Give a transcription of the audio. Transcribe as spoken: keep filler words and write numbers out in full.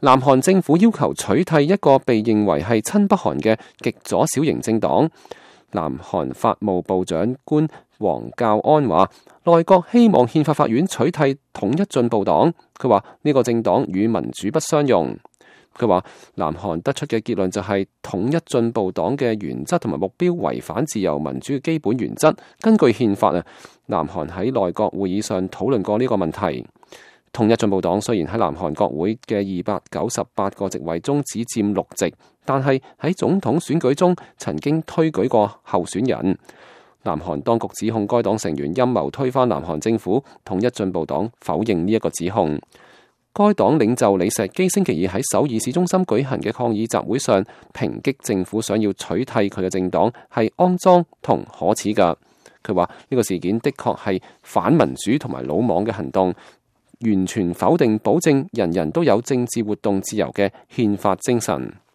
南韓政府要求取締一個被認為係親北韓嘅極左小型政黨。南韓法務部長官黃教安話，內閣希望憲法法院取締統一進步黨。佢話呢個政黨與民主不相容。佢話南韓得出嘅結論就係統一進步黨嘅原則同埋目標違反自由民主嘅基本原則。根據憲法啊，南韓喺內閣會議上討論過呢個問題。統一進步黨雖然喺南韓國會嘅二百九十八個席位中只佔六席，但係喺總統選舉中曾經推舉過候選人。南韓當局指控該黨成員陰謀推翻南韓政府，統一進步黨否認呢一個指控。該黨領袖李石基星期二喺首爾市中心舉行嘅抗議集會上，抨擊政府想要取締佢嘅政黨係骯髒同可恥㗎。佢話呢個事件的確係反民主同埋魯莽嘅行動，完全否定保證人人都有政治活動自由嘅憲法精神。